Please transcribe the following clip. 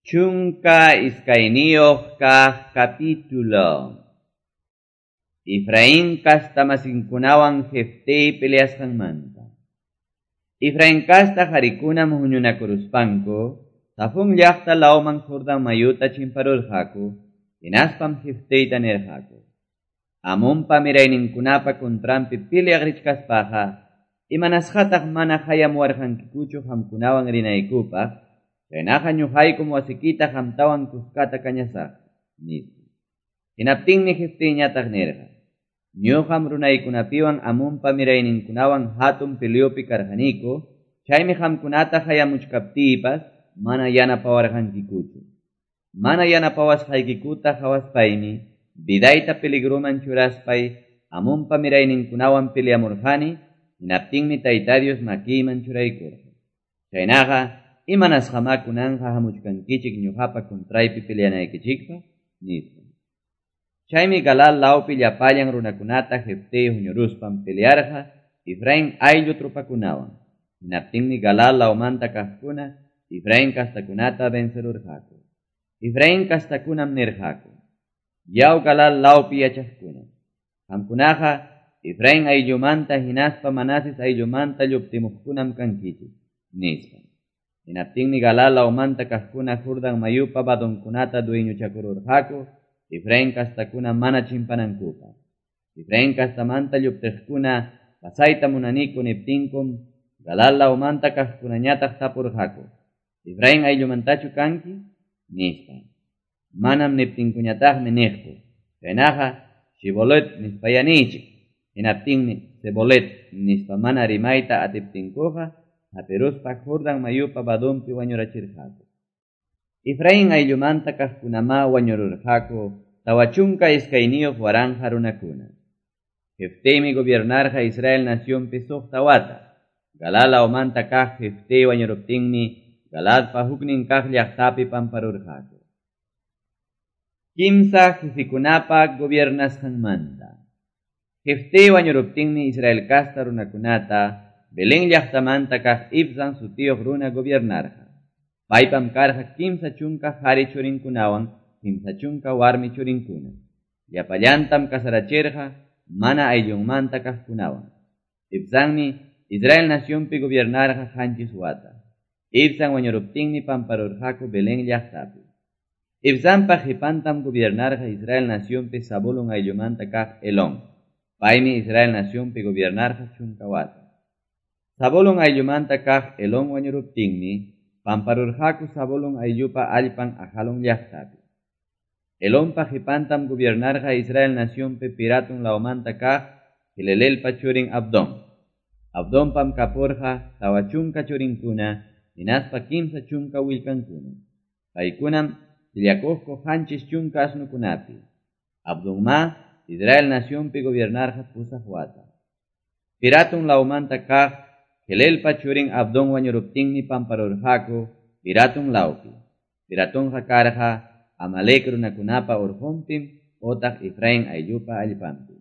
12 kaq capítulo. Efraín casta masinkunawan Jeftey peleasqanmanta. Efraín casta qarikunam huñunakuruspanku, Zafón llaqta lawman Jordán mayuta chimparurqaku, hinaspam Jefteyta nirqaku: Amonpa mirayninkunapa contranpi peleaq richkaspaqa, imanasqataq mana hayamuwarqankikuchu qamkunawan rinaykupaq? Chaynaqa ñuqaykum wasikita qamtawan kuskata kañasaq, nispa. Hinaptinmi Jefteyñataq nirqa: Ñuqam runaykunapiwan Amonpa mirayninkunawan hatun peleopi karqaniku, chaymi qamkunata hayamuchkaptiypas mana yanapawarqankikuchu. Mana yanapawasqaykikuta qawaspaymi vidayta peligroman churaspay Amonpa mirayninkunawan peleamurqani, hinaptinmi Tayta Dios makiyman churaykurqa. Chaynaqa imanasqamá kunanqa hamuchkankichik ñuqapa contraypi peleanaykichikpaq, nispa. Chaymi Galaad lawpi llapallan runakunata Jeftey huñuruspan pelearqa Efraín ayllu tropakunawan. Hinaptinmi Galaad lawmanta kaqkuna Efraín kastakunata vencerurqaku. Efraín kastakunam nirqaku: Yaw Galaad lawpi yachaqkuna, qamkunaqa Efraín ayllumanta hinaspa Manases ayllumanta lluptimuqkunam kankichik, nispa. Hinaptinmi Galaad lawmanta kaqkuna Jordán mayupa vadonkunata dueñochakururqaku Efraín kastakuna mana chimpanankupaq. Efraín kastamanta lluptiqkuna pasayta munaniku niptinkum Galaad lawmanta kaqkunañataq tapurqaku: Efraín ayllumantachu kanki? Nispa. Manam niptinkuñataqmi niqku: Chaynaqa Shibolet nispaya niychik. Hinaptinmi Sebolet nispa mana rimayta atiptinkuqa hapiruspa Jordán mayupa vadonpi wañurachirqaku. Efraín ayllumanta kaqkunamá wañururqaku 42 waranqa runakuna. Jefteymi gobiernarqa Israel nacionpi 6 wata. Galaad lawmanta kaq Jeftey wañuruptinmi Galaadpa huknin kaq llaqtapi pamparurqaku. Kimsa jefikunapa gobiernasqanmanta. Jeftey wañuruptinmi Israel casta runakunata Belén llaqtamanta kaq Ibzan sutiyuq runa gobiernarqa. Paypam karqa 30 qhari churinkunawan 30 warmi churinkuna. Llapallantam kasarachirqa mana ayllunmanta kaqkunawan. Ibzanmi Israel nacionpi gobiernarqa 7 wata. Ibzan wañuruptinmi pamparurqaku Belén llaqtapi. Ibzanpa qipantam gobiernarqa Israel nacionpi Zabulón ayllumanta kaq Elón. Paymi Israel nacionpi gobiernarqa 10 wata. Zabulón ayllumanta kaq Elón wañuruptinmi pamparurqaku Zabulón ayllupa allpan Ajalón llaqtapi. Elonpa qipantam gobiernarqa Israel nacionpi Piratón lawmanta kaq Hilelelpa churin Abdón. Abdonpam kapurqa 40 churinkuna hinaspa 30 willkankuna. Paykunam sillakuqku 70 asnukunapi. Abdonma Israel nacionpi gobiernarqa 8 wata. Piratón lawmanta kaq Helelpa churin Abdón wañuruptinmi pamparurqaku Piratón lawpi. Piratonqa karqa Amalek runakunapa urqunpim otaq Efraín ayllupa allpanpi.